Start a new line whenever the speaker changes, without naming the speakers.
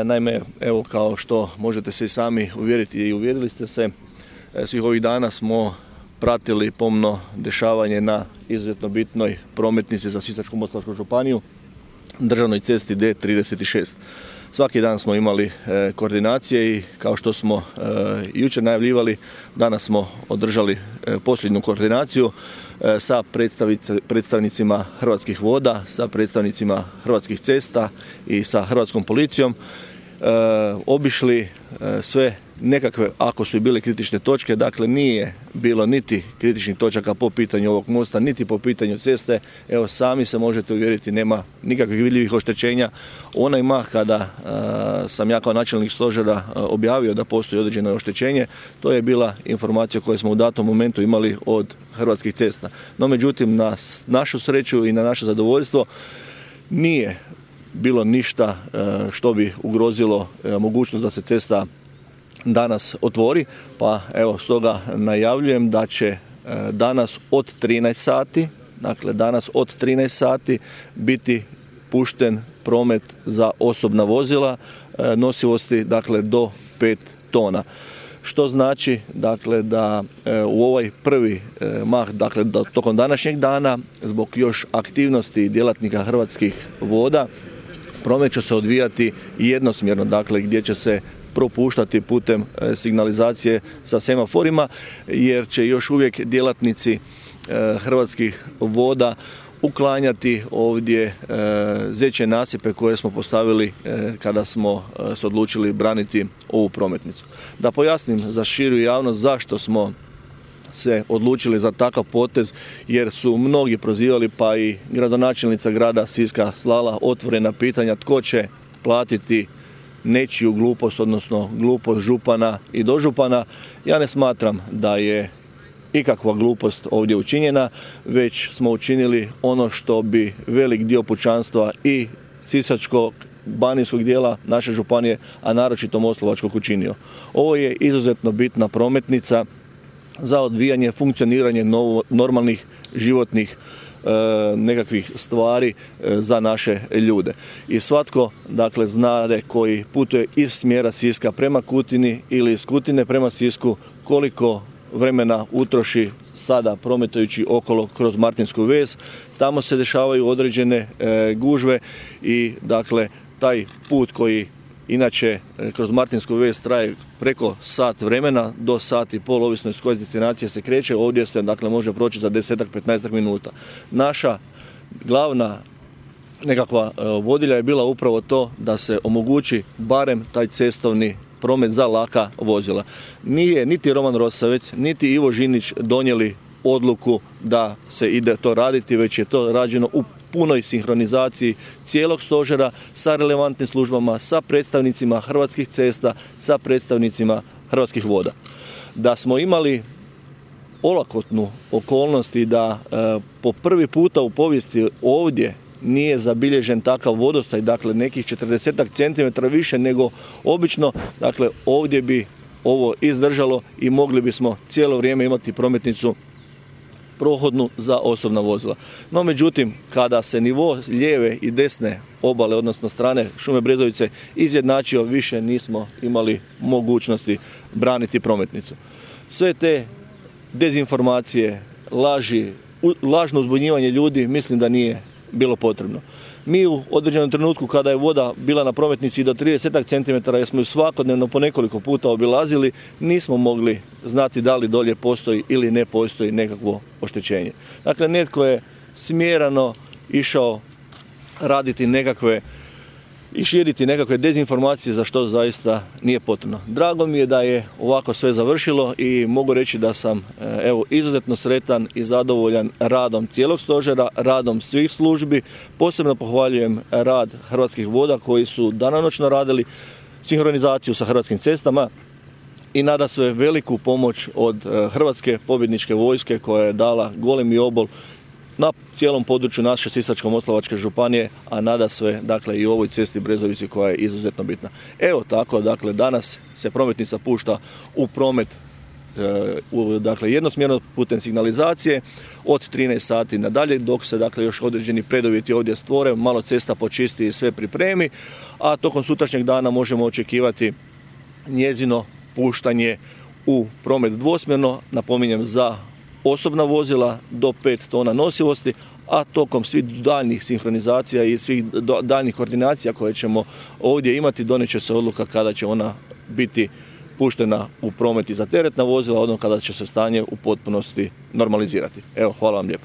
Naime, evo kao što možete se i sami uvjeriti i uvjerili ste se, svih ovih dana smo pratili pomno dešavanje na izuzetno bitnoj prometnici za Sisačko-moslavačku županiju, državnoj cesti D36. Svaki dan smo imali koordinacije i kao što smo jučer najavljivali, danas smo održali posljednju koordinaciju sa predstavnicima Hrvatskih voda, sa predstavnicima Hrvatskih cesta i sa Hrvatskom policijom. Obišli sve nekakve, ako su i bile kritične točke, dakle nije bilo niti kritičnih točaka po pitanju ovog mosta, niti po pitanju ceste. Evo sami se možete uvjeriti, nema nikakvih vidljivih oštećenja. Onaj mah kada sam ja kao načelnik stožera objavio da postoji određeno oštećenje, to je bila informacija koju smo u datom momentu imali od Hrvatskih cesta. No međutim, na našu sreću i na naše zadovoljstvo nije bilo ništa što bi ugrozilo mogućnost da se cesta danas otvori, pa evo stoga najavljujem da će danas od 13 sati, dakle danas od 13 sati biti pušten promet za osobna vozila nosivosti dakle do 5 tona. Što znači dakle da u ovaj prvi mah, dakle tokom današnjeg dana, zbog još aktivnosti djelatnika Hrvatskih voda, promet će se odvijati jednosmjerno, dakle gdje će se propuštati putem signalizacije sa semaforima, jer će još uvijek djelatnici Hrvatskih voda uklanjati ovdje zeće nasipe koje smo postavili kada smo se odlučili braniti ovu prometnicu. Da pojasnim za širu javnost zašto smo se odlučili za takav potez, jer su mnogi prozivali, pa i gradonačelnica grada Siska slala otvorena pitanja tko će platiti nečiju glupost, odnosno glupost župana i dožupana. Ja ne smatram da je ikakva glupost ovdje učinjena, već smo učinili ono što bi velik dio pučanstva i sisačko-banijskog dijela naše županije, a naročito moslavačkog učinio. Ovo je izuzetno bitna prometnica za odvijanje, funkcioniranje normalnih životnih nekakvih stvari za naše ljude. I svatko dakle znade koji putuje iz smjera Siska prema Kutini ili iz Kutine prema Sisku koliko vremena utroši sada prometujući okolo kroz Martinsku ves. Tamo se dešavaju određene gužve i dakle taj put koji inače kroz Martinsku ves traje preko sat vremena do sat i pol, ovisno iz koje destinacije se kreće, ovdje se dakle može proći za 10-15 minuta. Naša glavna nekakva vodilja je bila upravo to da se omogući barem taj cestovni promet za laka vozila. Nije niti Roman Rosavec, niti Ivo Žinić donijeli odluku da se ide to raditi, već je to rađeno u punoj sinhronizaciji cijelog stožera sa relevantnim službama, sa predstavnicima Hrvatskih cesta, sa predstavnicima Hrvatskih voda. Da smo imali olakotnu okolnost i da po prvi puta u povijesti ovdje nije zabilježen takav vodostaj, dakle nekih 40 cm više nego obično, dakle ovdje bi ovo izdržalo i mogli bismo cijelo vrijeme imati prometnicu prohodnu za osobna vozila. No međutim, kada se nivo lijeve i desne obale, odnosno strane šume Brezovice izjednačio, više nismo imali mogućnosti braniti prometnicu. Sve te dezinformacije, laži, lažno uzbunjivanje ljudi mislim da nije bilo potrebno. Mi u određenom trenutku kada je voda bila na prometnici do 30 cm, jer smo ju svakodnevno po nekoliko puta obilazili, nismo mogli znati da li dolje postoji ili ne postoji nekakvo oštećenje. Dakle, netko je smjerano išao raditi nekakve i širiti nekakve dezinformacije za što zaista nije potrebno. Drago mi je da je ovako sve završilo i mogu reći da sam izuzetno sretan i zadovoljan radom cijelog stožera, radom svih službi. Posebno pohvaljujem rad Hrvatskih voda koji su danonoćno radili sinhronizaciju sa Hrvatskim cestama i nadasve veliku pomoć od Hrvatske pobjedničke vojske koja je dala golemi obol na cijelom području naše Sisačko-moslavačke županije, a nadasve dakle i u ovoj cesti Brezovici koja je izuzetno bitna. Evo tako, dakle danas se prometnica pušta u promet dakle, jednosmjerno putem signalizacije od 13 sati nadalje, dok se dakle, još određeni preduvjeti ovdje stvore, malo cesta počisti i sve pripremi, a tokom sutrašnjeg dana možemo očekivati njezino puštanje u promet dvosmjerno, napominjem za osobna vozila do 5 tona nosivosti, a tokom svih daljnjih sinhronizacija i svih daljnjih koordinacija koje ćemo ovdje imati, donijet će se odluka kada će ona biti puštena u promet i za teretna vozila, odnosno kada će se stanje u potpunosti normalizirati. Evo, hvala vam lijepo.